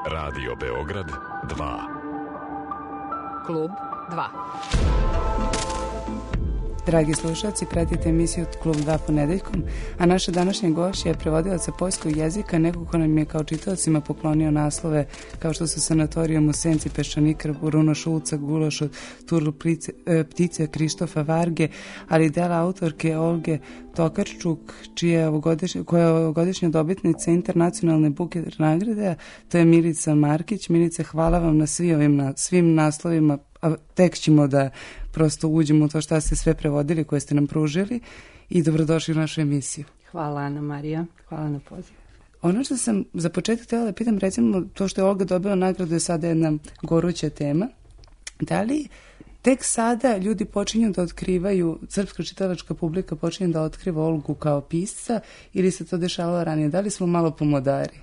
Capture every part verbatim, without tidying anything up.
Radio Beograd dva. Klub dva. Dragi slušalci, pratite emisiju Klub dva ponedeljkom, a naša današnja gošća je prevodilaca poljskog jezika, neko ko nam je kao čitaocima poklonio naslove kao što su Sanatorijum u senci peščanika Bruno Šulca, Gulaš od Turl ptice Krištofa Varge, ali dela autorke Olge Tokarčuk, čija ovogodišnja, koja je ovogodišnja dobitnica internacionalne Buket nagrade, to je Milica Markić. Milice, hvala vam na svi ovim, na svim naslovima, a tek ćemo da prosto uđemo u to šta ste sve prevodili koje ste nam pružili i dobrodošli u našu emisiju. Hvala Ana Marija, hvala na pozivu. Ono što sam za početak htjela da pitam, recimo to što je Olga dobila nagradu je sada jedna goruća tema. Da li tek sada ljudi počinju da otkrivaju, srpska čitalačka publika počinje da otkriva Olgu kao pisca ili se to dešavalo ranije? Da li smo malo pomodari?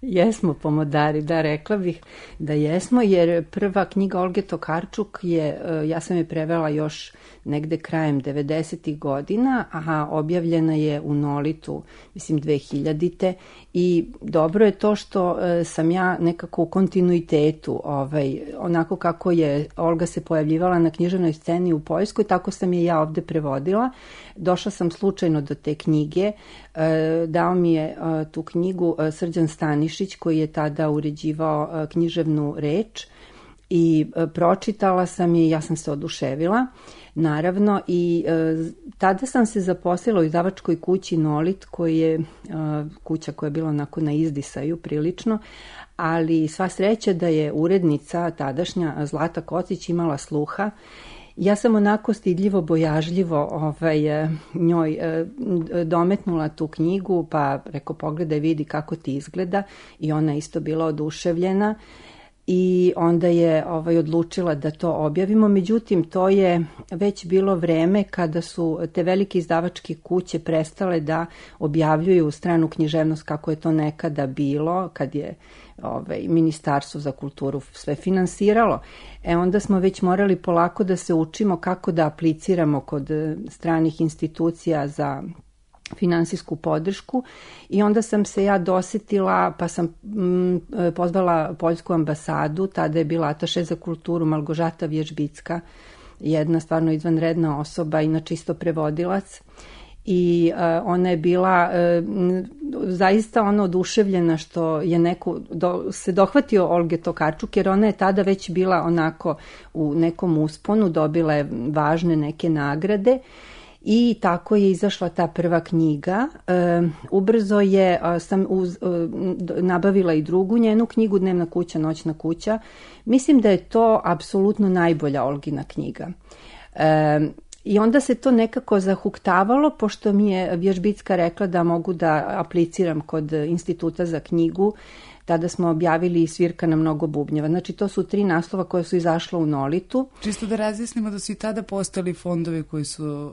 Jesmo pomodari, da, rekla bih da jesmo, jer prva knjiga Olge Tokarčuk je, ja sam je prevela još negde krajem devedesetih godina, a objavljena je u Nolitu, mislim dve hiljadite. I dobro je to što sam ja nekako u kontinuitetu, ovaj, onako kako je Olga se pojavljivala na književnoj sceni u Poljskoj, tako sam je ja ovde prevodila. Došla sam slučajno do te knjige, dao mi je tu knjigu Srđan Stanišić, koji je tada uređivao književnu reč, i pročitala sam je i ja sam se oduševila. Naravno, i e, tada sam se zaposlila u izdavačkoj kući Nolit, koji je e, kuća koja je bila onako na izdisaju prilično, ali sva sreća da je urednica tadašnja Zlata Kocić imala sluha. Ja sam onako stidljivo, bojažljivo ovaj, njoj e, dometnula tu knjigu, pa reko pogledaj, vidi kako ti izgleda, i ona isto bila oduševljena. I onda je ovaj, odlučila da to objavimo. Međutim, to je već bilo vreme kada su te velike izdavačke kuće prestale da objavljuju stranu književnost kako je to nekada bilo, kad je ovaj, Ministarstvo za kulturu sve finansiralo. E onda smo već morali polako da se učimo kako da apliciramo kod stranih institucija za finansijsku podršku, i onda sam se ja dosetila, pa sam mm, pozvala poljsku ambasadu, tada je bila ataše za kulturu Malgožata Vježbicka, jedna stvarno izvanredna osoba, inače isto prevodilac, i uh, ona je bila uh, zaista ono oduševljena što je neko do, se dohvatio Olge Tokarčuk, jer ona je tada već bila onako u nekom usponu, dobila je važne neke nagrade. I tako je izašla ta prva knjiga. E, ubrzo je, sam uz, e, nabavila i drugu njenu knjigu, Dnevna kuća, noćna kuća. Mislim da je to apsolutno najbolja Olgina knjiga. E, I onda se to nekako zahuktavalo, pošto mi je Vježbicka rekla da mogu da apliciram kod Instituta za knjigu. Tada smo objavili i Svirka na mnogo bubnjeva. Znači, to su tri naslova koje su izašla u Nolitu. Čisto da razjasnimo da su i tada postali fondovi koji su...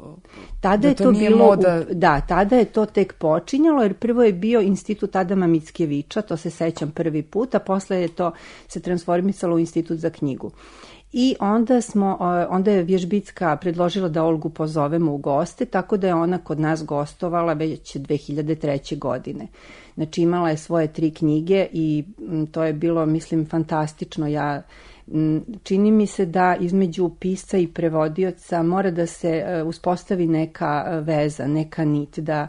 Tada da je to, to bilo... Moda... Da, tada je to tek počinjalo, jer prvo je bio Institut Adama Mickiewicza, to se sećam prvi put, a posle je to se transformisalo u Institut za knjigu. I onda, smo, onda je Vježbicka predložila da Olgu pozovemo u goste, tako da je ona kod nas gostovala već dve hiljade treće. godine. Znači, imala je svoje tri knjige i to je bilo, mislim, fantastično. Ja, čini mi se da između pisca i prevodioca mora da se uspostavi neka veza, neka nit, da,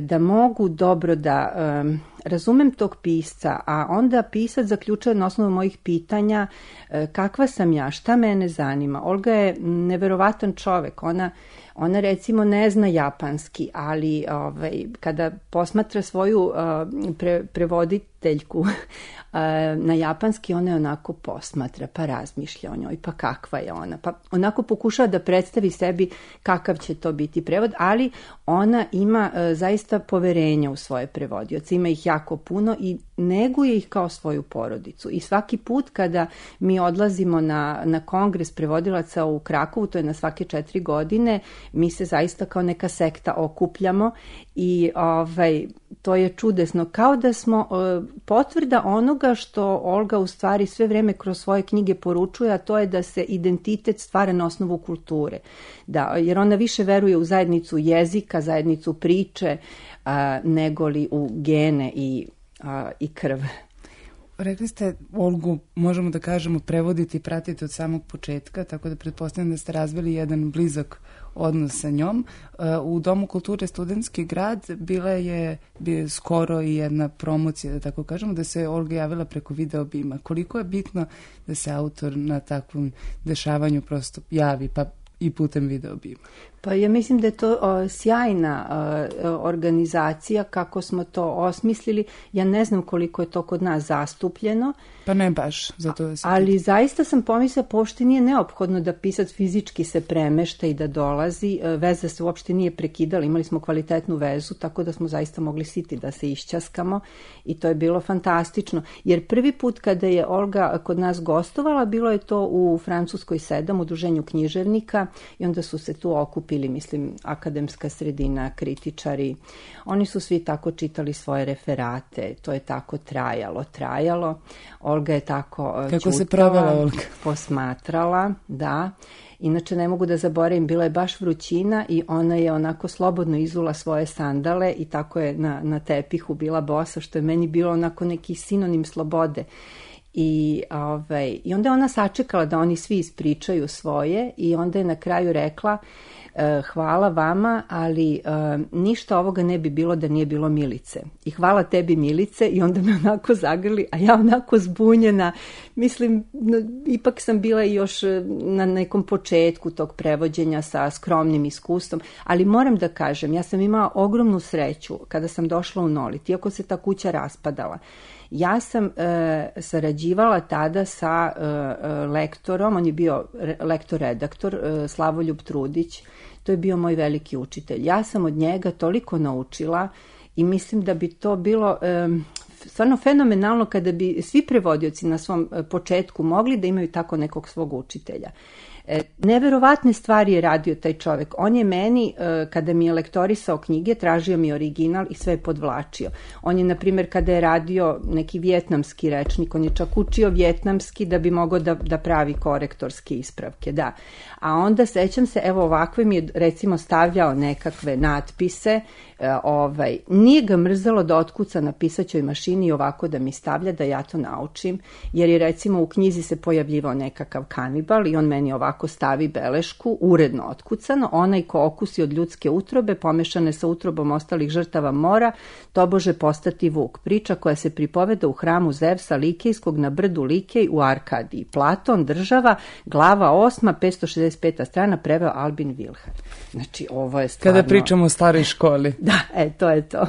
da mogu dobro da um, razumem tog pisca, a onda pisac zaključuje na osnovu mojih pitanja uh, kakva sam ja, šta mene zanima. Olga je neverovatan čovek, ona Ona recimo ne zna japanski, ali ovaj, kada posmatra svoju uh, pre, prevoditeljku uh, na japanski, ona je onako posmatra, pa razmišlja o njoj, pa kakva je ona. Pa onako pokušava da predstavi sebi kakav će to biti prevod, ali ona ima uh, zaista poverenja u svoje prevodioce. Ima ih jako puno i neguje ih kao svoju porodicu. I svaki put kada mi odlazimo na, na kongres prevodilaca u Krakovu, to je na svake četiri godine, mi se zaista kao neka sekta okupljamo i ovaj, to je čudesno. Kao da smo uh, potvrda onoga što Olga u stvari sve vreme kroz svoje knjige poručuje, a to je da se identitet stvara na osnovu kulture. Da, jer ona više veruje u zajednicu jezika, zajednicu priče, uh, negoli u gene i, uh, i krv. Rekli ste, Olgu, možemo da kažemo, prevoditi i pratiti od samog početka, tako da pretpostavljam da ste razvili jedan blizak odnos sa njom. U Domu kulture Studentski grad bila je bio skoro i jedna promocija, da tako kažemo, da se Olga javila preko video bima. Koliko je bitno da se autor na takvom dešavanju prosto javi, pa i putem video bima? Pa ja mislim da je to o, sjajna o, organizacija kako smo to osmislili. Ja ne znam koliko je to kod nas zastupljeno. Pa ne baš, zato da se ali pita. Zaista sam pomislila, pošto nije neophodno da pisac fizički se premešta i da dolazi. Veza se uopšte nije prekidala, imali smo kvalitetnu vezu, tako da smo zaista mogli siti da se išćaskamo i to je bilo fantastično. Jer prvi put kada je Olga kod nas gostovala, bilo je to u Francuskoj sedam, u Udruženju književnika, i onda su se tu okupili ili mislim akademska sredina, kritičari. Oni su svi tako čitali svoje referate, to je tako trajalo, trajalo. Olga je tako Kako čutala, se provela Olga? Posmatrala, da. Inače ne mogu da zaboravim, bila je baš vrućina i ona je onako slobodno izula svoje sandale i tako je na, na tepihu bila bosa, što je meni bilo onako neki sinonim slobode. I, ovaj, I onda je ona sačekala da oni svi ispričaju svoje i onda je na kraju rekla e, hvala vama, ali e, ništa ovoga ne bi bilo da nije bilo Milice. I hvala tebi Milice, i onda me onako zagrli, a ja onako zbunjena. Mislim, no, ipak sam bila još na nekom početku tog prevođenja sa skromnim iskustvom, ali moram da kažem, ja sam imala ogromnu sreću kada sam došla u Nolit, iako se ta kuća raspadala. Ja sam e, sarađivala tada sa e, lektorom, on je bio re, lektor-redaktor, e, Slavoljub Trudić, to je bio moj veliki učitelj. Ja sam od njega toliko naučila i mislim da bi to bilo e, stvarno fenomenalno kada bi svi prevodioci na svom početku mogli da imaju tako nekog svog učitelja. E, neverovatne stvari je radio taj čovjek. On je meni, e, kada mi je lektorisao knjige, tražio mi original i sve je podvlačio. On je, na primjer, kada je radio neki vjetnamski rečnik, on je čak učio vjetnamski da bi mogao da, da pravi korektorske ispravke, da. A onda, sećam se, evo ovakve mi je, recimo, stavljao nekakve natpise, e, ovaj, nije ga mrzelo da otkuca na pisaćoj mašini i ovako da mi stavlja da ja to naučim, jer je, recimo, u knjizi se pojavljivao nekakav kanibal i on meni ovako ako stavi belešku, uredno otkucano, onaj ko okusi od ljudske utrobe, pomešane sa utrobom ostalih žrtava mora, tobože postati vuk. Priča koja se pripoveda u hramu Zevsa Likejskog na brdu Likej u Arkadiji. Platon, država, glava osma, petsto šezdeset peta strana, preveo Albin Wilhelm. Znači, ovo je stvarno... Kada pričamo o staroj školi. Da, e, to je to.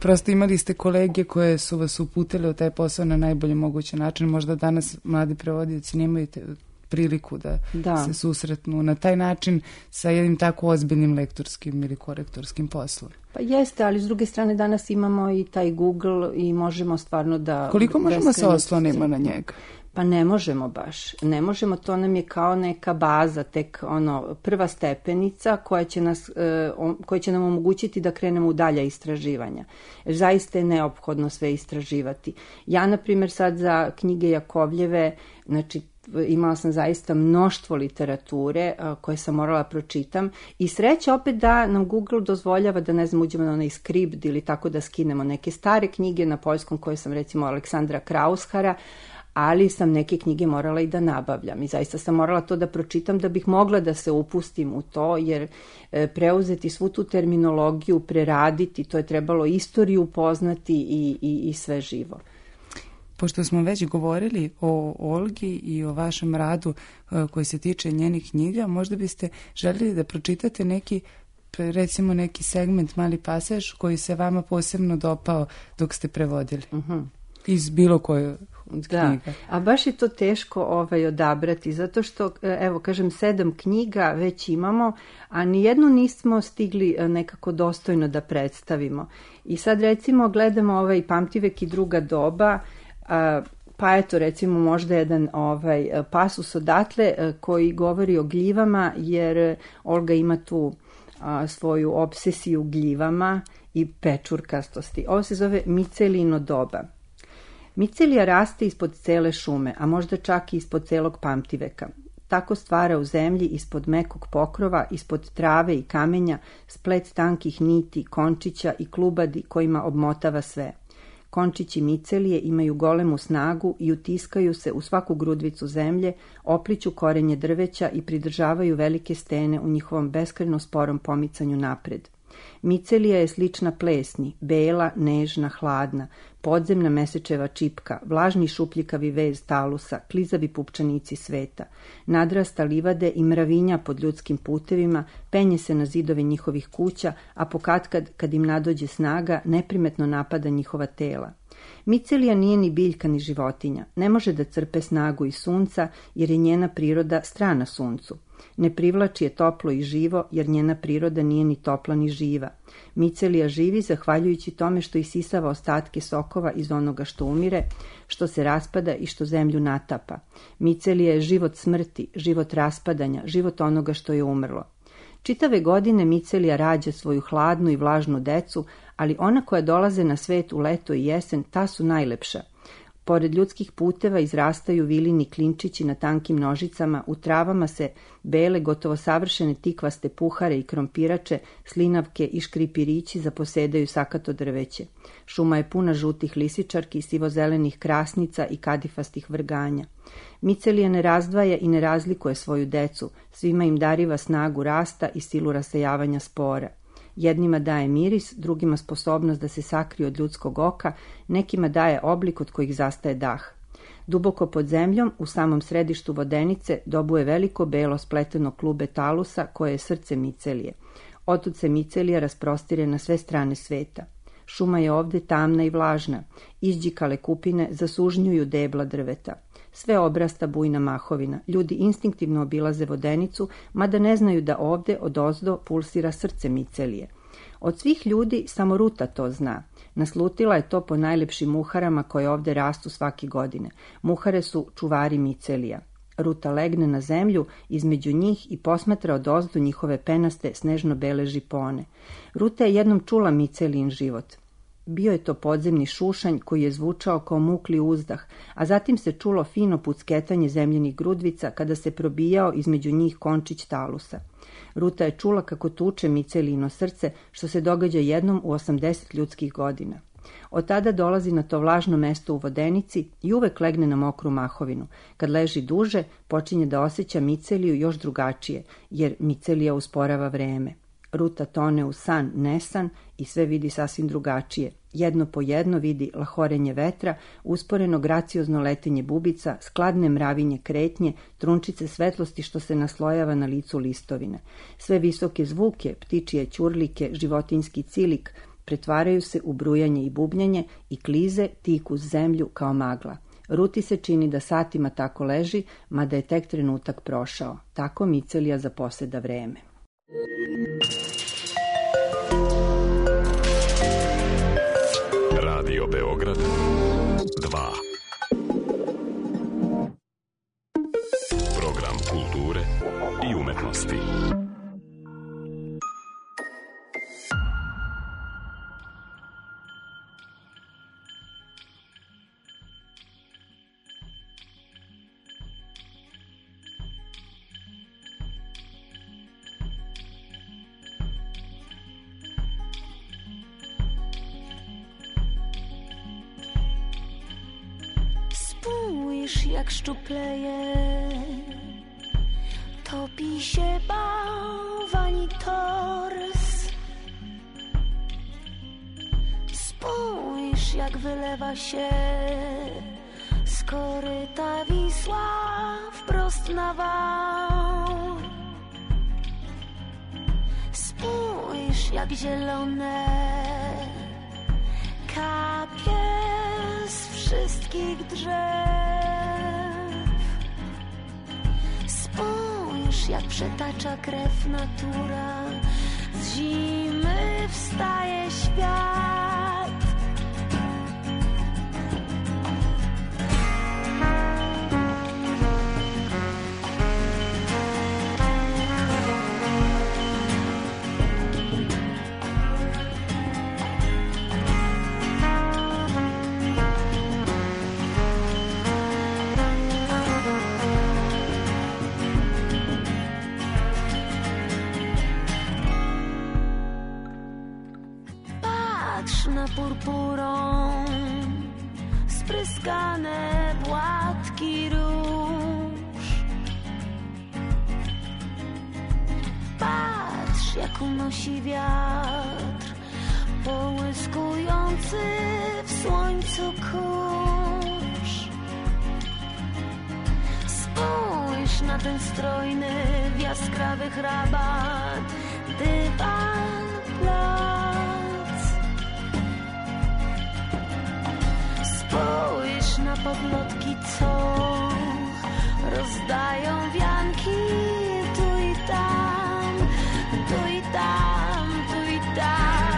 Prosto imali ste kolege koje su vas uputile u taj posao na najbolji mogući način. Možda danas mladi prevodioci nemaju te priliku da, da se susretnu na taj način sa jednim tako ozbiljnim lektorskim ili korektorskim poslom. Pa jeste, ali s druge strane danas imamo i taj Google i možemo stvarno da... Koliko možemo se oslonimo na njega? Pa ne možemo baš. Ne možemo, to nam je kao neka baza, tek ono, prva stepenica koja će, nas, e, koja će nam omogućiti da krenemo u dalja istraživanja. Jer zaista je neophodno sve istraživati. Ja, na primjer, sad za knjige Jakovljeve, znači, imala sam zaista mnoštvo literature uh, koje sam morala pročitam i sreća opet da nam Google dozvoljava da, ne znam, uđemo na onaj skript ili tako da skinemo neke stare knjige na poljskom koje sam, recimo, Aleksandra Kraushara, ali sam neke knjige morala i da nabavljam i zaista sam morala to da pročitam da bih mogla da se upustim u to, jer e, preuzeti svu tu terminologiju, preraditi, to je trebalo istoriju poznati i, i, i sve živo. Pošto smo već govorili o Olgi i o vašem radu koji se tiče njenih knjiga, možda biste željeli da pročitate neki, recimo neki segment, mali pasaž koji se vama posebno dopao dok ste prevodili. Uh-huh. Iz bilo koje da. knjiga. A baš je to teško ovaj, odabrati, zato što, evo, kažem, sedam knjiga već imamo, a nijednu nismo stigli nekako dostojno da predstavimo. I sad, recimo, gledamo ovaj Pamtivek i druga doba, Uh, pa eto, recimo, možda jedan ovaj, pasus odatle uh, koji govori o gljivama, jer Olga ima tu uh, svoju obsesiju gljivama i pečurkastosti. Ovo se zove Micelijino doba. Micelija raste ispod cele šume, a možda čak i ispod celog Pamtiveka. Tako stvara u zemlji ispod mekog pokrova, ispod trave i kamenja, splet tankih niti, končića i klubadi kojima obmotava sve. Končići micelije imaju golemu snagu i utiskaju se u svaku grudvicu zemlje, opliću korenje drveća i pridržavaju velike stene u njihovom beskrajno sporom pomicanju napred. Micelija je slična plesni, bela, nežna, hladna, podzemna mesečeva čipka, vlažni šupljikavi vez talusa, klizavi pupčanici sveta, nadrasta livade i mravinja pod ljudskim putevima, penje se na zidove njihovih kuća, a pokatkad, kad im nadođe snaga, neprimetno napada njihova tela. Micelija nije ni biljka ni životinja, ne može da crpe snagu iz sunca jer je njena priroda strana suncu. Ne privlači je toplo i živo jer njena priroda nije ni topla ni živa. Micelija živi zahvaljujući tome što isisava ostatke sokova iz onoga što umire, što se raspada i što zemlju natapa. Micelija je život smrti, život raspadanja, život onoga što je umrlo. Čitave godine micelija rađa svoju hladnu i vlažnu decu, ali ona koja dolaze na svet u leto i jesen, ta su najlepša. Pored ljudskih puteva izrastaju vilini klinčići na tankim nožicama, u travama se bele, gotovo savršene tikvaste puhare i krompirače, slinavke i škripirići zaposedaju sakato drveće. Šuma je puna žutih lisičarki, sivozelenih krasnica i kadifastih vrganja. Micelija ne razdvaja i ne razlikuje svoju decu, svima im dariva snagu rasta i silu rasejavanja spora. Jednima daje miris, drugima sposobnost da se sakriju od ljudskog oka, nekima daje oblik od kojih zastaje dah. Duboko pod zemljom, u samom središtu vodenice, dobuje veliko belo spleteno klube talusa koje je srce micelije. Otud se micelija rasprostire na sve strane sveta. Šuma je ovde tamna i vlažna, izđikale kupine zasužnjuju debla drveta. Sve obrasta bujna mahovina, ljudi instinktivno obilaze vodenicu, mada ne znaju da ovde odozdo pulsira srce micelije. Od svih ljudi samo Ruta to zna. Naslutila je to po najlepšim muharama koje ovde rastu svake godine. Muhare su čuvari micelija. Ruta legne na zemlju između njih i posmatra odozdo njihove penaste snežno-bele žipone. Ruta je jednom čula micelijin život. Bio je to podzemni šušanj koji je zvučao kao mukli uzdah, a zatim se čulo fino pucketanje zemljenih grudvica kada se probijao između njih končić talusa. Ruta je čula kako tuče micelijino srce, što se događa jednom u osamdeset ljudskih godina. Od tada dolazi na to vlažno mesto u vodenici i uvek legne na mokru mahovinu. Kad leži duže, počinje da osjeća miceliju još drugačije, jer micelija usporava vreme. Ruta tone u san, nesan i sve vidi sasvim drugačije. Jedno po jedno vidi lahorenje vetra, usporeno graciozno letenje bubica, skladne mravinje kretnje, trunčice svetlosti što se naslojava na licu listovine. Sve visoke zvuke, ptičije ćurlike, životinjski cilik, pretvaraju se u brujanje i bubnjanje i klize tiku uz zemlju kao magla. Ruti se čini da satima tako leži, mada je tek trenutak prošao. Tako micelija zaposeda vreme. Radio Beograd dva. Program kulture i umetnosti. Spójrz, jak szczupleje, topi się bałwani tors. Spójrz, jak wylewa się z koryta Wisła wprost na wał. Spójrz, jak zielone kapie z wszystkich drzew. Spójrz, jak przetacza krew natura, z zimy wstaje świat. jasna purpurą, spryskane płatki róż. Patrz, jak unosi wiatr, połyskujący w słońcu kurz. Spójrz na ten strojny w jaskrawych rabat dywan plac. Spójrz na podlotki, co rozdają wianki tu i tam, tu i tam, tu i tam.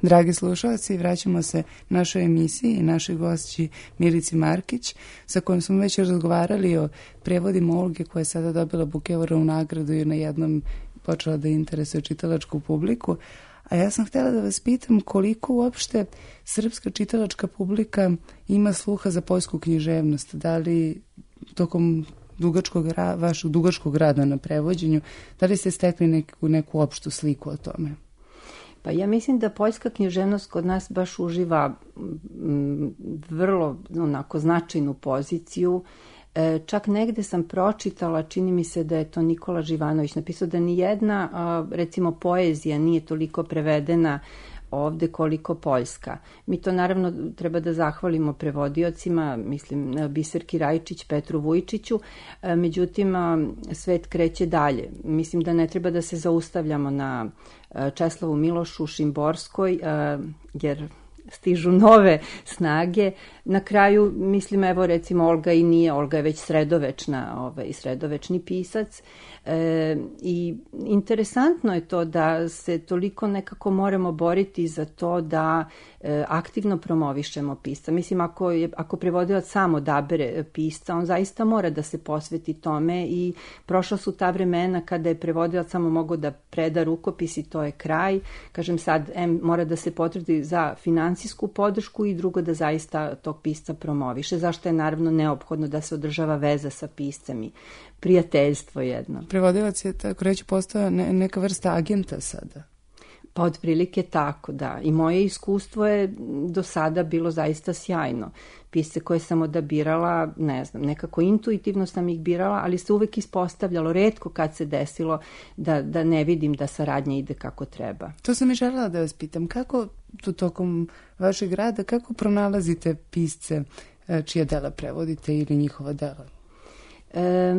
Dragi slušalci, vraćamo se našoj emisiji i našoj gošći Milici Markić, sa kojom smo već razgovarali o prevodima Olge, koja je sada dobila Bukevarovu nagradu i na jednom počela da interesuje čitalačku publiku. A ja sam htjela da vas pitam koliko uopšte srpska čitalačka publika ima sluha za poljsku književnost. Da li tokom dugačkog, vašeg dugačkog rada na prevođenju, da li ste stekli neku, neku opštu sliku o tome? Pa ja mislim da poljska književnost kod nas baš uživa m, vrlo onako značajnu poziciju. E, čak negde sam pročitala, čini mi se da je to Nikola Živanović napisao da ni jedna, a, recimo, poezija nije toliko prevedena ovde koliko poljska. Mi to naravno treba da zahvalimo prevodiocima, mislim Biserki Rajčić, Petru Vujčiću, međutim svet kreće dalje. Mislim da ne treba da se zaustavljamo na Česlavu Milošu, Šimborskoj, jer stižu nove snage. Na kraju, mislim, evo recimo Olga i nije, Olga je već sredovečna, ovaj, sredovečni pisac. E, I interesantno je to da se toliko nekako moramo boriti za to da e, aktivno promovišemo pisca. Mislim, ako, je, ako prevodilac sam odabere pisca, on zaista mora da se posveti tome i prošla su ta vremena kada je prevodilac samo mogao da preda rukopis i to je kraj. Kažem sad, em, mora da se potrudi za finansijsku podršku i drugo da zaista tog pisca promoviše, zašto je naravno neophodno da se održava veza sa piscem i prijateljstvo jedno. Prevodilac je, tako reći, postao ne, neka vrsta agenta sada. Pa otprilike tako, da. I moje iskustvo je do sada bilo zaista sjajno. Pisce koje sam odabirala, ne znam, nekako intuitivno sam ih birala, ali se uvek ispostavljalo, retko kad se desilo da, da ne vidim da saradnja ide kako treba. To sam i želela da vas pitam. Kako tu tokom vašeg rada, kako pronalazite pisce čija dela prevodite ili njihova dela? E,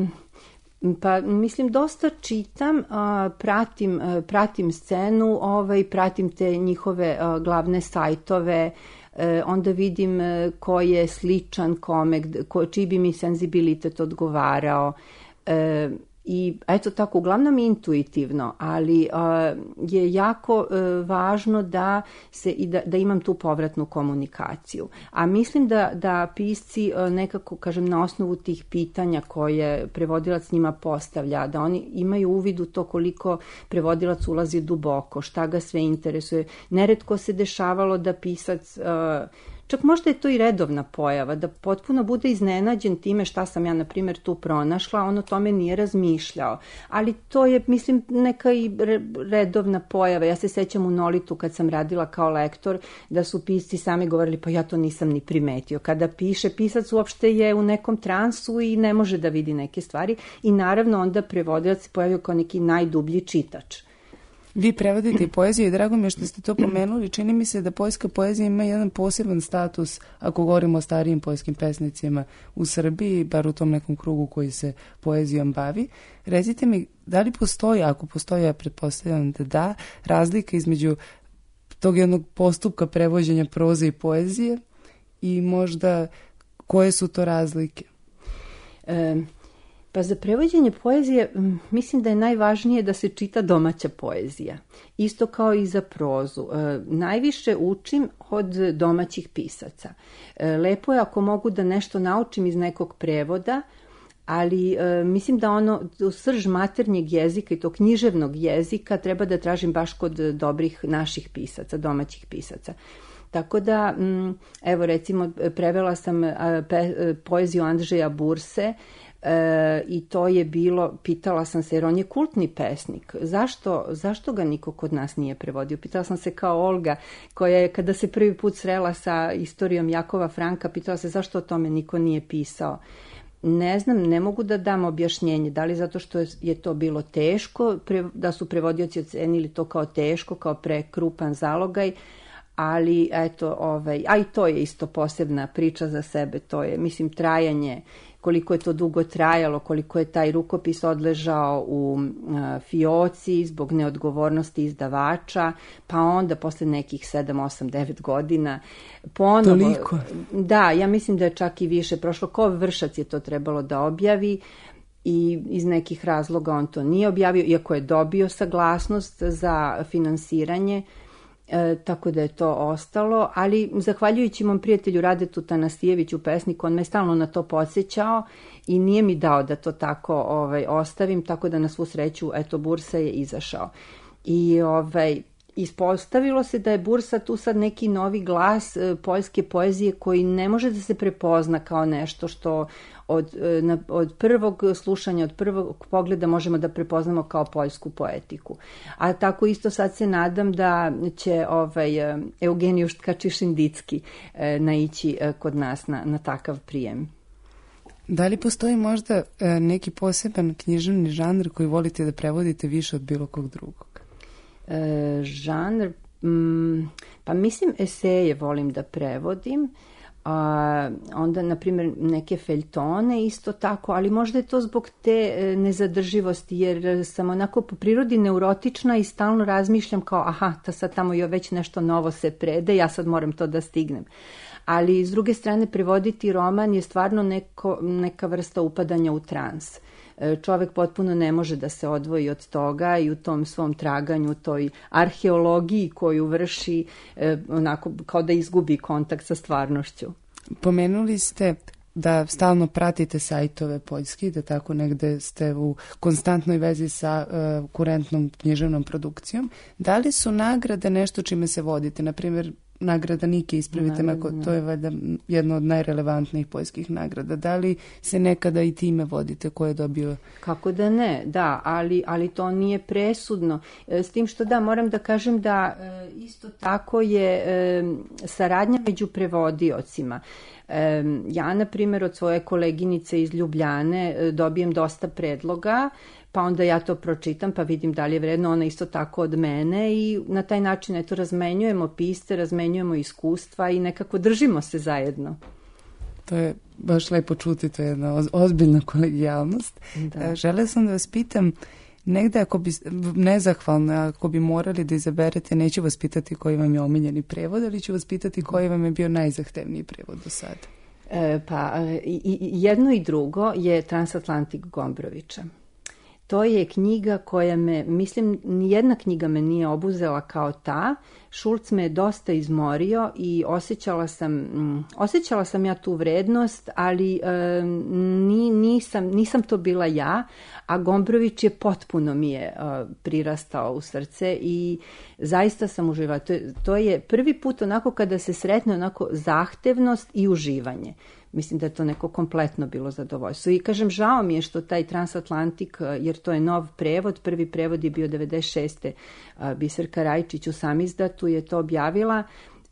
pa mislim dosta čitam, a, pratim, a, pratim scenu, ovaj, pratim te njihove a, glavne sajtove, e, onda vidim a, ko je sličan kome, ko, čiji bi mi senzibilitet odgovarao. E, I eto tako, uglavnom intuitivno, ali uh, je jako uh, važno da se i da, da imam tu povratnu komunikaciju. A mislim da, da pisci uh, nekako, kažem, na osnovu tih pitanja koje prevodilac njima postavlja, da oni imaju uvid u to koliko prevodilac ulazi duboko, šta ga sve interesuje. Neretko se dešavalo da pisac uh, čak možda je to i redovna pojava, da potpuno bude iznenađen time šta sam ja, na primjer, tu pronašla, on o tome nije razmišljao. Ali to je, mislim, neka i redovna pojava. Ja se sećam u Nolitu kad sam radila kao lektor, da su pisci sami govorili, pa ja to nisam ni primetio. Kada piše, pisac uopšte je u nekom transu i ne može da vidi neke stvari i naravno onda prevodilac se pojavio kao neki najdublji čitač. Vi prevodite i poeziju i drago mi je što ste to pomenuli. Čini mi se da poljska poezija ima jedan poseban status ako govorimo o starijim poljskim pesnicima u Srbiji, bar u tom nekom krugu koji se poezijom bavi. Recite mi, da li postoji, ako postoji, ja pretpostavljam da da, razlika između tog jednog postupka prevođenja proze i poezije i možda koje su to razlike? E, pa za prevođenje poezije mislim da je najvažnije da se čita domaća poezija. Isto kao i za prozu. E, najviše učim od domaćih pisaca. E, lepo je ako mogu da nešto naučim iz nekog prevoda, ali e, mislim da ono srž maternjeg jezika i to književnog jezika treba da tražim baš kod dobrih naših pisaca, domaćih pisaca. Tako da, evo recimo, prevela sam pe, poeziju Andžeja Burse e, i to je bilo, pitala sam se, jer on je kultni pesnik, zašto, zašto ga niko kod nas nije prevodio? Pitala sam se kao Olga, koja je kada se prvi put srela sa istorijom Jakova Franka, pitala se zašto o tome niko nije pisao. Ne znam, ne mogu da dam objašnjenje, da li zato što je to bilo teško, da su prevodioci ocenili to kao teško, kao prekrupan zalogaj, ali eto, ovaj, a i to je isto posebna priča za sebe, to je, mislim, trajanje, koliko je to dugo trajalo, koliko je taj rukopis odležao u a, fioci zbog neodgovornosti izdavača, pa onda posle nekih sedam, osam, devet godina ponovo... Toliko? Da, ja mislim da je čak i više prošlo. Ko Vršac je to trebalo da objavi i iz nekih razloga on to nije objavio, iako je dobio saglasnost za finansiranje, E, tako da je to ostalo, ali zahvaljujući mom prijatelju Radetu Tanasijeviću, pesniku, on me stalno na to podsjećao i nije mi dao da to tako ovaj, ostavim, tako da na svu sreću, eto, Bursa je izašao. I ovaj, ispostavilo se da je Bursa tu sad neki novi glas e, poljske poezije koji ne može da se prepozna kao nešto što od, e, na, od prvog slušanja, od prvog pogleda možemo da prepoznamo kao poljsku poetiku. A tako isto sad se nadam da će ovaj, e, Eugeniju Tkačišindicki e, naići e, kod nas na, na takav prijem. Da li postoji možda e, neki poseban književni žanr koji volite da prevodite više od bilo kog drugog? E, žanr, mm, pa mislim eseje volim da prevodim, a onda na primjer neke feljtone isto tako, ali možda je to zbog te e, nezadrživosti, jer sam onako po prirodi neurotična i stalno razmišljam kao aha, ta sad tamo je već nešto novo se prede, ja sad moram to da stignem. Ali s druge strane prevoditi roman je stvarno neko, neka vrsta upadanja u trans. Čovek potpuno ne može da se odvoji od toga i u tom svom traganju, toj arheologiji koju vrši, onako kao da izgubi kontakt sa stvarnošću. Pomenuli ste da stalno pratite sajtove poljski, da tako negde ste u konstantnoj vezi sa uh, kurentnom književnom produkcijom. Da li su nagrade nešto čime se vodite? Naprimjer, nagrada Nike, ispravite me, ako to je valjda jedna od najrelevantnijih poljskih nagrada. Da li se nekada i time vodite, ko je dobio? Kako da ne, da, ali, ali to nije presudno. S tim što da, moram da kažem da isto tako je saradnja među prevodiocima. Ja, na primjer, od svoje koleginice iz Ljubljane dobijem dosta predloga, pa onda ja to pročitam, pa vidim da li je vredno, ona isto tako od mene i na taj način eto razmenjujemo pisce, razmenjujemo iskustva i nekako držimo se zajedno. To je baš lepo čuti, to je jedna ozbiljna kolegijalnost. Da. Žele sam da vas pitam, negde ako bi, nezahvalno, ako bi morali da izaberete, neću vas pitati koji vam je omiljeni prevod, ali ću vas pitati koji vam je bio najzahtevniji prevod do sada. E, pa, i, i jedno i drugo je Transatlantik Gombrovića. To je knjiga koja me, mislim, nijedna knjiga me nije obuzela kao ta. Šulc me je dosta izmorio i osjećala sam, mm, osjećala sam ja tu vrednost, ali e, ni, nisam, nisam to bila ja, a Gombrović je potpuno mi je e, prirastao u srce i zaista sam uživala. To je, to je prvi put onako kada se sretne onako zahtevnost i uživanje. Mislim da je to neko kompletno bilo zadovoljstvo. I kažem, žao mi je što taj Transatlantik, jer to je nov prevod, prvi prevod je bio devedeset šeste. Biserka Rajčić u samizdatu je to objavila.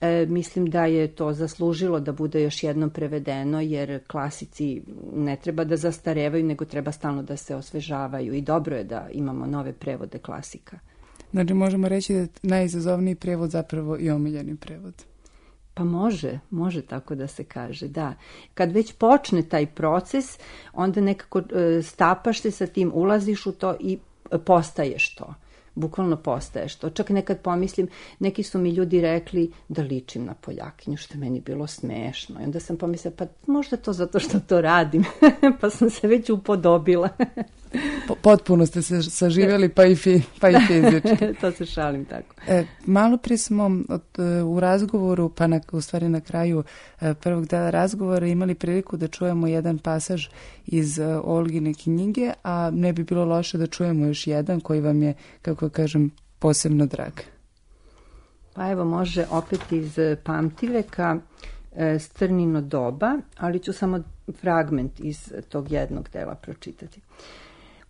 E, mislim da je to zaslužilo da bude još jednom prevedeno, jer klasici ne treba da zastarevaju, nego treba stalno da se osvežavaju i dobro je da imamo nove prevode klasika. Znači možemo reći da je najizazovniji prevod zapravo i omiljeni prevod. Pa može, može tako da se kaže, da. Kad već počne taj proces, onda nekako e, stapaš se sa tim, ulaziš u to i postaješ to. Bukvalno postaješ to. Čak nekad pomislim, neki su mi ljudi rekli da ličim na Poljakinju, što je meni bilo smešno. I onda sam pomislila, pa možda to zato što to radim, pa sam se već upodobila. Potpuno ste se saživjeli, pa i, fi, pa i fizički. To se šalim tako. E, malo prije smo od, u razgovoru, pa na, u stvari na kraju e, prvog dela razgovora imali priliku da čujemo jedan pasaž iz e, Olgine knjige, a ne bi bilo loše da čujemo još jedan koji vam je, kako kažem, posebno drag. Pa evo, može opet iz Pamtiveka, e, Strnino doba, ali ću samo fragment iz tog jednog dela pročitati.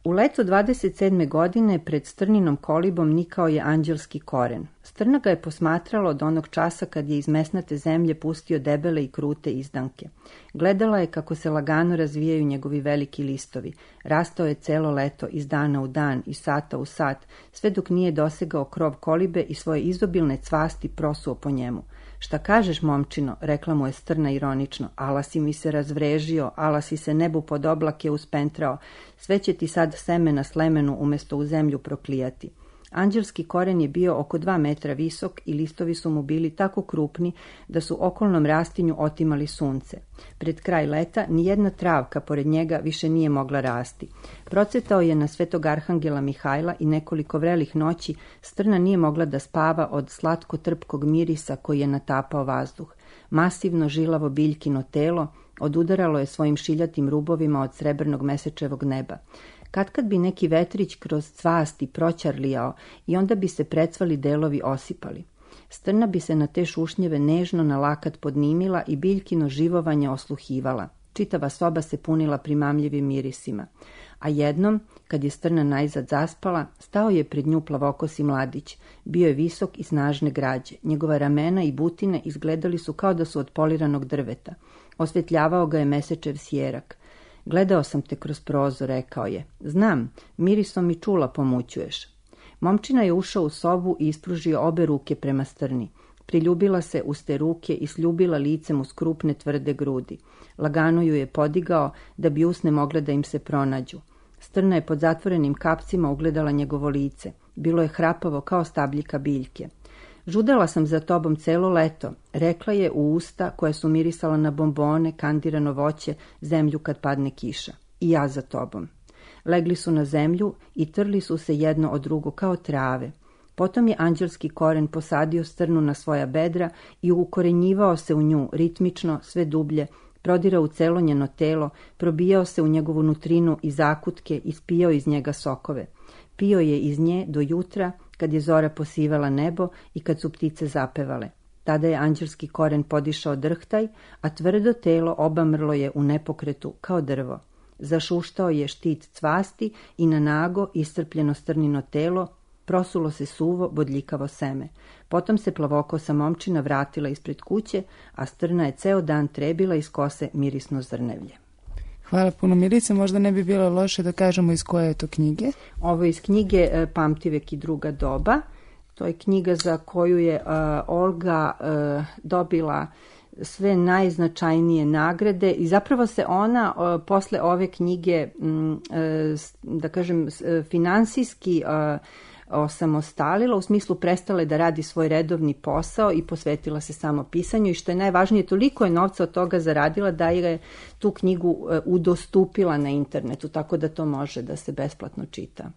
U leto dvadeset sedme godine pred Strninom kolibom nikao je anđelski koren. Strna ga je posmatrala od onog časa kad je iz mesnate zemlje pustio debele i krute izdanke. Gledala je kako se lagano razvijaju njegovi veliki listovi. Rastao je celo leto, iz dana u dan, iz sata u sat, sve dok nije dosegao krov kolibe i svoje izobilne cvasti prosuo po njemu. Šta kažeš, momčino, rekla mu je Strna ironično, ala si mi se razvrežio, ala si se nebu pod oblake uspentrao, sve će ti sad semena slemenu umjesto u zemlju proklijati. Anđelski koren je bio oko dva metra visok i listovi su mu bili tako krupni da su okolnom rastinju otimali sunce. Pred kraj leta nijedna travka pored njega više nije mogla rasti. Procvetao je na Svetog Arhangela Mihajla i nekoliko vrelih noći Strna nije mogla da spava od slatko-trpkog mirisa koji je natapao vazduh. Masivno žilavo biljkino telo odudaralo je svojim šiljatim rubovima od srebrnog mesečevog neba. Katkad bi neki vetrić kroz cvasti proćarlijao i onda bi se precvali delovi osipali. Strna bi se na te šušnjeve nežno na lakat podnimila i biljkino živovanje osluhivala. Čitava soba se punila primamljivim mirisima. A jednom, kad je Strna najzad zaspala, stao je pred nju plavokosi mladić. Bio je visok i snažne građe. Njegova ramena i butine izgledali su kao da su od poliranog drveta. Osvetljavao ga je mesečev sjerak. Gledao sam te kroz prozor, rekao je. Znam, mirisom i čula pomućuješ. Momčina je ušao u sobu i ispružio obe ruke prema Strni. Priljubila se uz te ruke i sljubila licem uz krupne tvrde grudi. Lagano ju je podigao da bi usne mogle da im se pronađu. Strna je pod zatvorenim kapcima ugledala njegovo lice. Bilo je hrapavo kao stabljika biljke. Žudela sam za tobom celo leto, rekla je u usta koja su mirisala na bombone, kandirano voće, zemlju kad padne kiša. I ja za tobom. Legli su na zemlju i trli su se jedno od drugo kao trave. Potom je anđelski koren posadio Strnu na svoja bedra i ukorenjivao se u nju ritmično, sve dublje, prodirao u celo njeno telo, probijao se u njegovu nutrinu i zakutke i spijao iz njega sokove. Pio je iz nje do jutra, kad je zora posivala nebo i kad su ptice zapevale. Tada je anđelski koren podišao drhtaj, a tvrdo telo obamrlo je u nepokretu kao drvo. Zašuštao je štit cvasti i na nago iscrpljeno Strnino telo prosulo se suvo, bodljikavo seme. Potom se plavokosa momčina vratila ispred kuće, a Strna je ceo dan trebila iz kose mirisno zrnevlje. Hvala puno, Milice. Možda ne bi bilo loše da kažemo iz koje je to knjige? Ovo je iz knjige e, Pamtivek i druga doba. To je knjiga za koju je uh, Olga uh, dobila sve najznačajnije nagrade i zapravo se ona uh, posle ove knjige, um, uh, da kažem, finansijski uh, osamostalila, u smislu prestala je da radi svoj redovni posao i posvetila se samo pisanju i što je najvažnije, toliko je novca od toga zaradila da je tu knjigu uh, udostupila na internetu, tako da to može da se besplatno čita.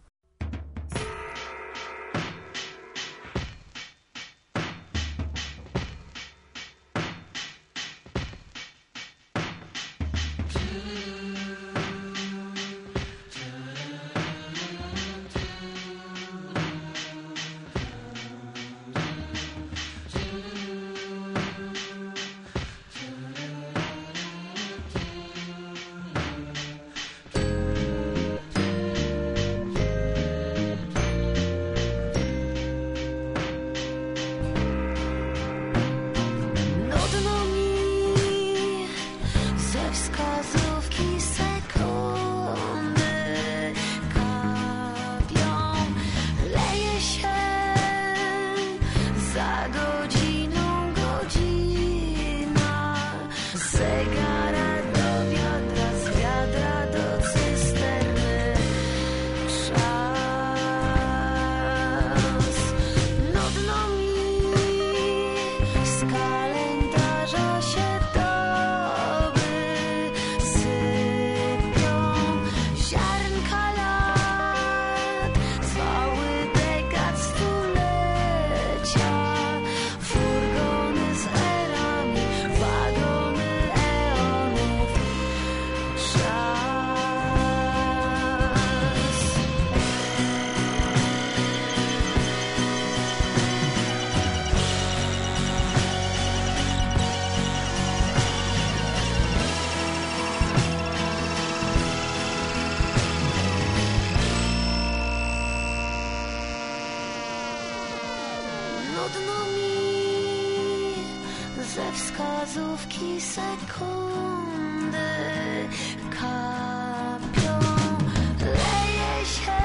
wskazówki sekundy kapią, leje się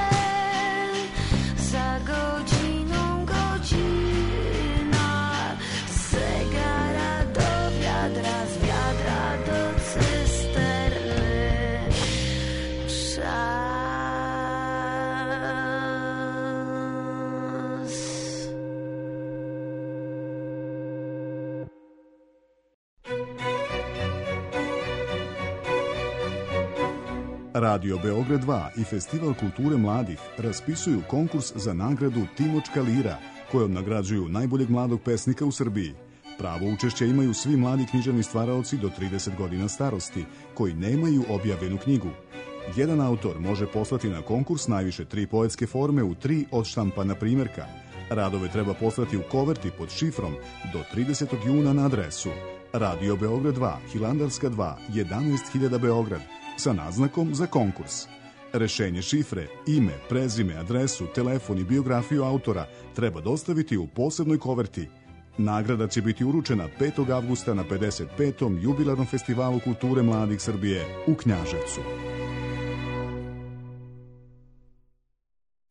za godziną godzina, z zegara do wiadra, z wiadra do cysterny. Czas. Radio Beograd dva i Festival kulture mladih raspisuju konkurs za nagradu Timočka lira, kojom nagrađuju najboljeg mladog pesnika u Srbiji. Pravo učešće imaju svi mladi književni stvaraoci do trideset godina starosti, koji nemaju objavljenu knjigu. Jedan autor može poslati na konkurs najviše tri poetske forme u tri odštampana primjerka. Radove treba poslati u koverti pod šifrom do tridesetog juna na adresu Radio Beograd dva, Hilandarska dva, jedanaest hiljada Beograd, sa naznakom za konkurs. Rešenje šifre, ime, prezime, adresu, telefon i biografiju autora treba dostaviti u posebnoj koverti. Nagrada će biti uručena petog avgusta na pedeset petom jubilarnom festivalu kulture mladih Srbije u Knjaževcu.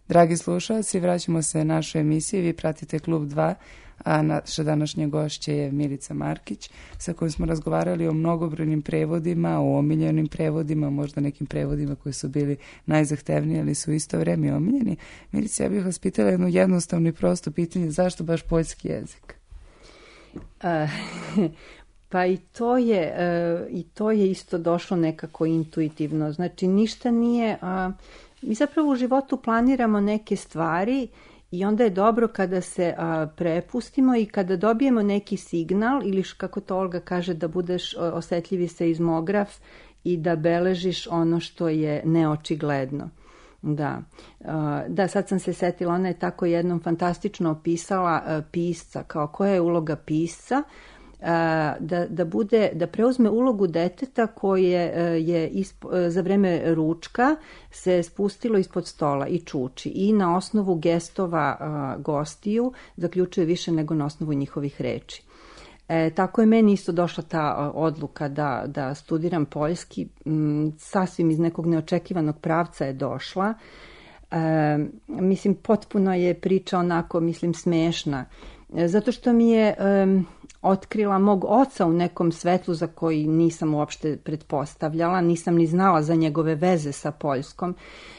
Dragi slušalci, vraćamo se našoj emisiji. Vi pratite Klub dva, a naša današnja gošća je Milica Markić, sa kojom smo razgovarali o mnogobrojnim prevodima, o omiljenim prevodima, možda nekim prevodima koji su bili najzahtevniji, ali su isto vreme omiljeni. Milica, ja bih vas pitala jedno jednostavno i prosto pitanje, zašto baš poljski jezik? Uh, pa i to je uh, i to je isto došlo nekako intuitivno. Znači, ništa nije... Uh, mi zapravo u životu planiramo neke stvari i onda je dobro kada se a, prepustimo i kada dobijemo neki signal ili kako to Olga kaže, da budeš osetljivi seizmograf i da beležiš ono što je neočigledno. Da, a, da, sad sam se setila, ona je tako jednom fantastično opisala a, pisca, kao koja je uloga pisca, Da, da, bude, da preuzme ulogu deteta koje je isp, za vreme ručka se spustilo ispod stola i čuči i na osnovu gestova a, gostiju zaključuje više nego na osnovu njihovih reči. E, tako je meni isto došla ta a, odluka da, da studiram poljski, m, sasvim iz nekog neočekivanog pravca je došla. E, mislim, potpuno je priča onako, mislim, smešna. Zato što mi je um, otkrila mog oca u nekom svetlu za koji nisam uopšte pretpostavljala, nisam ni znala za njegove veze sa Poljskom.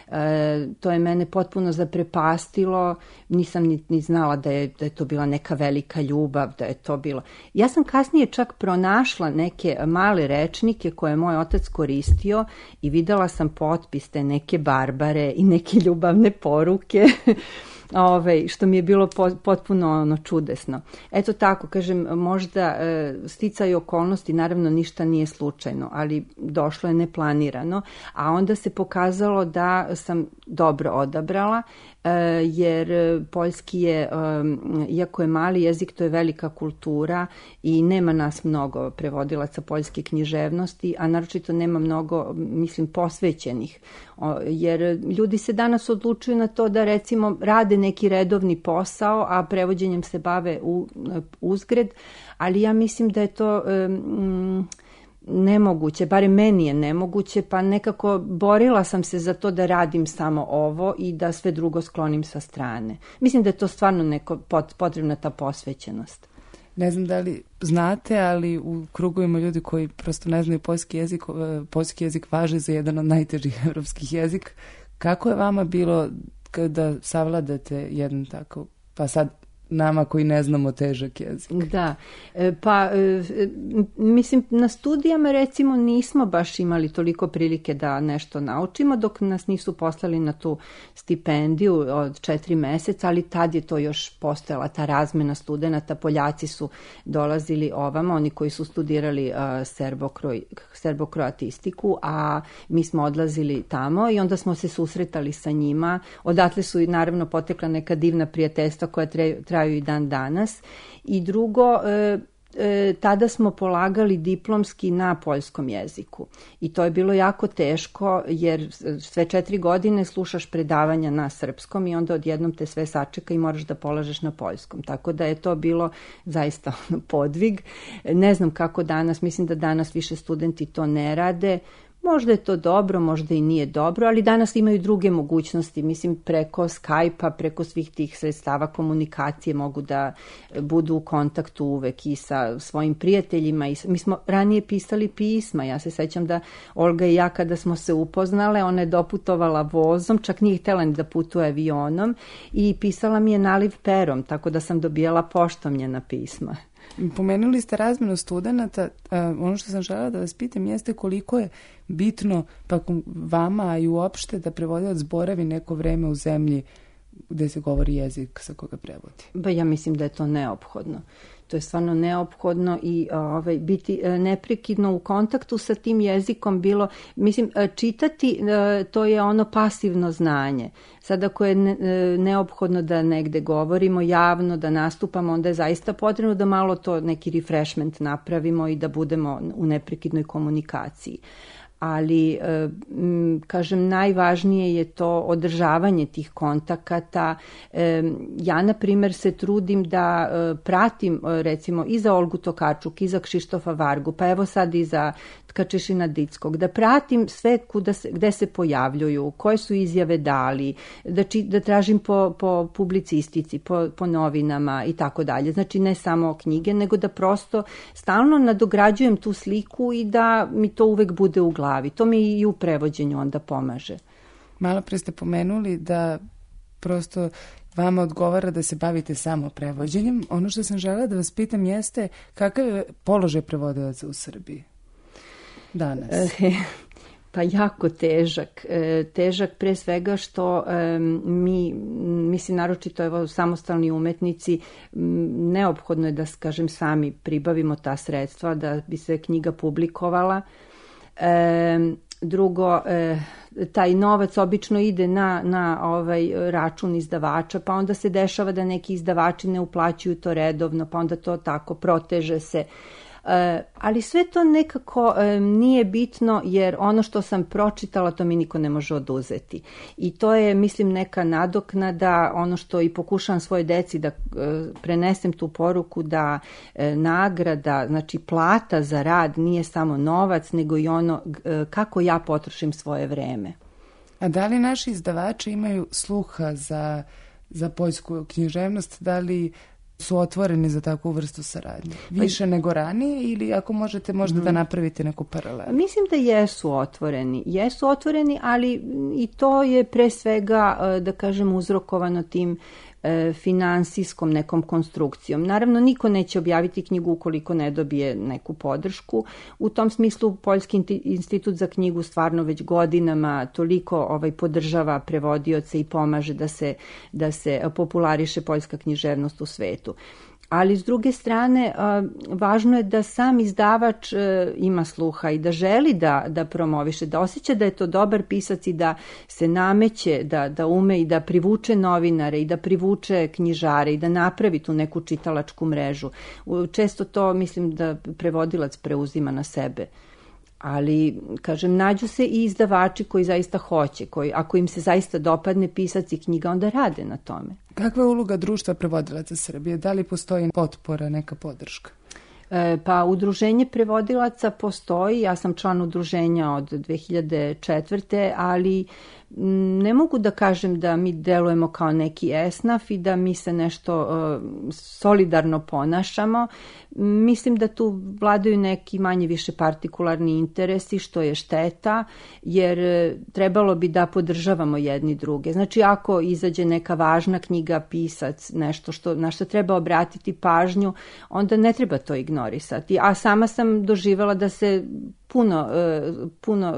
E, to je mene potpuno zaprepastilo, nisam ni, ni znala da je, da je to bila neka velika ljubav, da je to bilo... Ja sam kasnije čak pronašla neke male rečnike koje je moj otac koristio i videla sam potpis te neke Barbare i neke ljubavne poruke. Ove, što mi je bilo potpuno ono čudesno. Eto tako, kažem, možda e, sticaj okolnosti, naravno ništa nije slučajno, ali došlo je neplanirano, a onda se pokazalo da sam dobro odabrala, e, jer poljski je, e, iako je mali jezik, to je velika kultura i nema nas mnogo prevodilaca poljske književnosti, a naročito nema mnogo, mislim, posvećenih, o, jer ljudi se danas odlučuju na to da recimo rade neki redovni posao, a prevođenjem se bave u, uzgred, ali ja mislim da je to um, nemoguće, barem meni je nemoguće, pa nekako borila sam se za to da radim samo ovo i da sve drugo sklonim sa strane. Mislim da je to stvarno neko potrebna ta posvećenost. Ne znam da li znate, ali u krugovima ljudi koji prosto ne znaju poljski jezik, poljski jezik važi za jedan od najtežih evropskih jezika. Kako je vama bilo kada savladate jedan tako, pa sad nama koji ne znamo težak jezik? Da, pa mislim na studijama recimo nismo baš imali toliko prilike da nešto naučimo dok nas nisu poslali na tu stipendiju od četiri meseca, ali tad je to još postojala ta razmena studenata, Poljaci su dolazili ovamo, oni koji su studirali uh, serbokro, serbokroatistiku, a mi smo odlazili tamo i onda smo se susretali sa njima, odatle su i naravno potekla neka divna prijateljstva koja traju, traju i dan danas. I drugo, e, e, tada smo polagali diplomski na poljskom jeziku. I to je bilo jako teško, jer sve četiri godine slušaš predavanja na srpskom i onda odjednom te sve sačeka i moraš da polažeš na poljskom. Tako da je to bilo zaista podvig. Ne znam kako danas, mislim da danas više studenti to ne rade. Možda je to dobro, možda i nije dobro, ali danas imaju druge mogućnosti. Mislim, preko Skype-a, preko svih tih sredstava komunikacije mogu da budu u kontaktu uvek i sa svojim prijateljima. I mi smo ranije pisali pisma. Ja se sećam da Olga i ja kada smo se upoznale, ona je doputovala vozom, čak nije htjela ni da putuje avionom i pisala mi je naliv perom, tako da sam dobijala poštom njena pisma. Pomenuli ste razmenu studenata, ono što sam želela da vas pitam jeste koliko je bitno pa vama, a i uopšte da prevodilac boravi neko vreme u zemlji gde se govori jezik sa koga prevodi. Ba ja mislim da je to neophodno. To je stvarno neophodno i ovaj, biti neprekidno u kontaktu sa tim jezikom bilo, mislim, čitati to je ono pasivno znanje. Sad ako je neophodno da negde govorimo javno, da nastupamo, onda je zaista potrebno da malo to neki refreshment napravimo i da budemo u neprekidnoj komunikaciji. Ali, kažem, najvažnije je to održavanje tih kontakata. Ja, na primjer, se trudim da pratim, recimo, i za Olgu Tokarčuk, i za Kšištofa Vargu, pa evo sad i za Tkačešina Dickog, da pratim sve kuda se, gde se pojavljuju, koje su izjave dali, da, či, da tražim po, po publicistici, po, po novinama i tako dalje. Znači, ne samo knjige, nego da prosto stalno nadograđujem tu sliku i da mi to uvek bude u glavi. To mi i u prevođenju onda pomaže. Malo pre ste pomenuli da prosto vama odgovara da se bavite samo prevođenjem. Ono što sam želela da vas pitam jeste kakav je položaj prevodilaca u Srbiji danas? Pa jako težak. Težak pre svega što mi, mislim, naročito evo, samostalni umetnici, neophodno je da, kažem, sami pribavimo ta sredstva da bi se knjiga publikovala. E, drugo, e, taj novac obično ide na, na ovaj račun izdavača, pa onda se dešava da neki izdavači ne uplaćuju to redovno, pa onda to tako proteže se. E, ali sve to nekako e, nije bitno, jer ono što sam pročitala to mi niko ne može oduzeti. I to je, mislim, neka nadoknada, ono što i pokušavam svoje deci da e, prenesem tu poruku da e, nagrada, znači plata za rad nije samo novac, nego i ono e, kako ja potrošim svoje vreme. A da li naši izdavači imaju sluha za, za poljsku književnost? Da li su otvoreni za takvu vrstu saradnje? Više nego ranije ili ako možete možda da napravite neku paralelu? Mislim da jesu otvoreni. Jesu otvoreni, ali i to je pre svega, da kažem, uzrokovano tim finansijskom nekom konstrukcijom. Naravno, niko neće objaviti knjigu ukoliko ne dobije neku podršku. U tom smislu, Poljski institut za knjigu stvarno već godinama toliko ovaj, podržava prevodioce i pomaže da se, da se populariše poljska književnost u svetu. Ali s druge strane, važno je da sam izdavač ima sluha i da želi da, da promoviše, da osjeća da je to dobar pisac i da se nameće, da, da ume i da privuče novinare i da privuče knjižare i da napravi tu neku čitalačku mrežu. Često to mislim da prevodilac preuzima na sebe. Ali, kažem, nađu se i izdavači koji zaista hoće, koji, ako im se zaista dopadne pisac i knjiga, onda rade na tome. Kakva je uloga društva prevodilaca Srbije? Da li postoji potpora, neka podrška? E, pa, udruženje prevodilaca postoji, ja sam član udruženja od dve hiljade četvrte. ali ne mogu da kažem da mi delujemo kao neki esnaf i da mi se nešto uh, solidarno ponašamo. Mislim da tu vladaju neki manje više partikularni interesi, što je šteta, jer trebalo bi da podržavamo jedni druge. Znači, ako izađe neka važna knjiga, pisac, nešto što, na što treba obratiti pažnju, onda ne treba to ignorisati. A sama sam doživjela da se puno, puno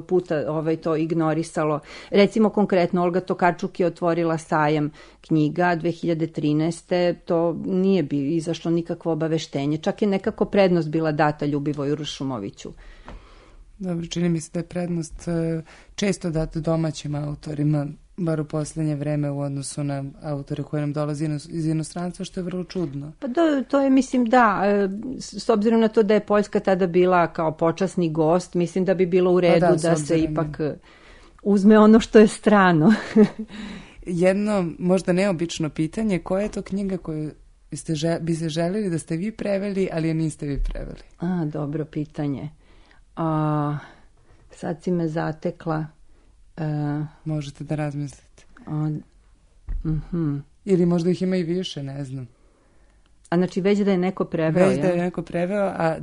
puta ovaj, to ignorisalo. Recimo, konkretno, Olga Tokarčuk je otvorila sajam knjiga dve hiljade trinaeste. To nije bi izašlo nikakvo obaveštenje. Čak je nekako prednost bila data Ljubivoju Ršumoviću. Dobro, čini mi se da je prednost često data domaćim autorima, bar u posljednje vreme u odnosu na autore koje nam dolazi iz inostranstva, što je vrlo čudno. Pa to, to je, mislim, da, s obzirom na to da je Poljska tada bila kao počasni gost, mislim da bi bilo u redu pa da, da se ipak uzme ono što je strano. Jedno, možda neobično pitanje, koja je to knjiga koju ste žel, bi se željeli da ste vi preveli, ali je niste vi preveli? A, dobro pitanje. A, sad si me zatekla. A, Možete da razmislite. A, uh-huh. Ili možda ih ima i više, ne znam. A znači već da je neko preveo, Već ja? da je neko preveo, a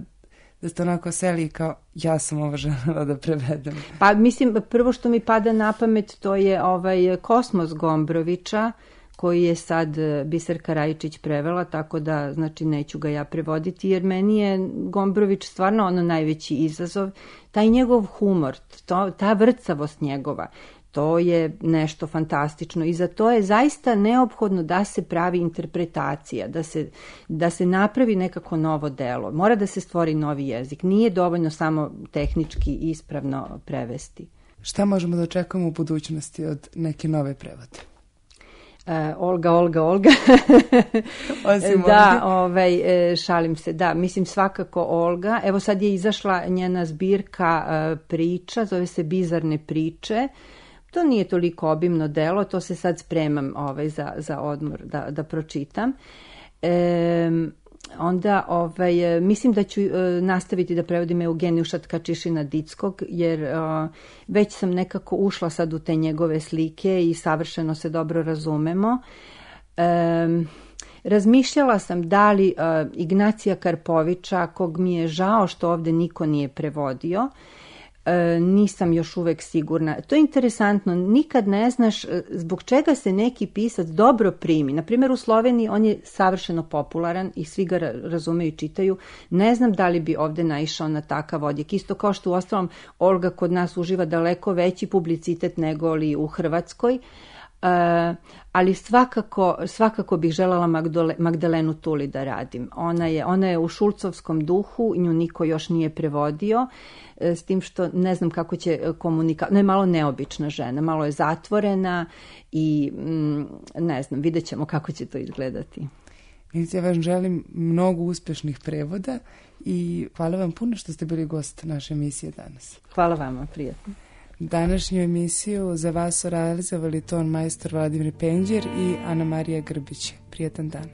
da ste onako seli kao ja sam ovo želela da prevedem. Pa mislim, prvo što mi pada na pamet to je ovaj Kosmos Gombrovića, koji je sad Biserka Rajičić prevela, tako da znači neću ga ja prevoditi, jer meni je Gombrović stvarno ono najveći izazov. Taj njegov humor, to, ta vrcavost njegova, to je nešto fantastično i za to je zaista neophodno da se pravi interpretacija, da se, da se napravi nekako novo delo. Mora da se stvori novi jezik. Nije dovoljno samo tehnički ispravno prevesti. Šta možemo da očekujemo u budućnosti od neke nove prevode? Uh, Olga, Olga, Olga. Osim da, ovaj, šalim se, da, mislim svakako Olga. Evo sad je izašla njena zbirka uh, priča, zove se Bizarne priče. To nije toliko obimno delo, to se sad spremam ovaj, za, za odmor da, da pročitam. E, onda ovaj, mislim da ću e, nastaviti da prevodim Eugenijuša Tkačišina Dickog, jer e, već sam nekako ušla sad u te njegove slike i savršeno se dobro razumemo. E, razmišljala sam da li e, Ignacija Karpovića, kog mi je žao što ovde niko nije prevodio, E, nisam još uvek sigurna. To je interesantno, nikad ne znaš zbog čega se neki pisac dobro primi. Naprimjer, u Sloveniji on je savršeno popularan i svi ga razumeju i čitaju. Ne znam da li bi ovde naišao na takav odjek. Isto kao što u ostalom Olga kod nas uživa daleko veći publicitet nego li u Hrvatskoj. Uh, ali svakako, svakako bih željela Magdole, Magdalenu Tuli da radim. Ona je, ona je u šulcovskom duhu, nju niko još nije prevodio, s tim što ne znam kako će komunikati. Ona je malo neobična žena, malo je zatvorena i mm, ne znam, vidjet ćemo kako će to izgledati. Ja vam želim mnogo uspešnih prevoda i hvala vam puno što ste bili gost naše emisije danas. Hvala vama, prijatno. Današnju emisiju za vas su realizovali ton majstor Vladimir Penđer i Ana Marija Grbić. Prijatan dan.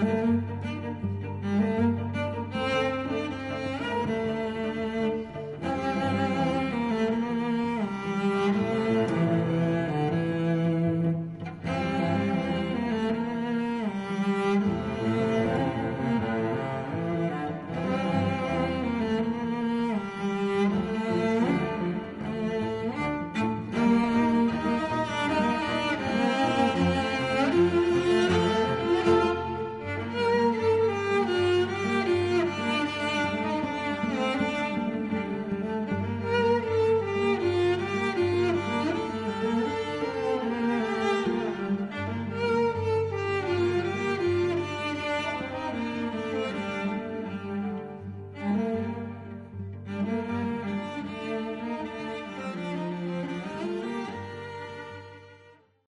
Thank you.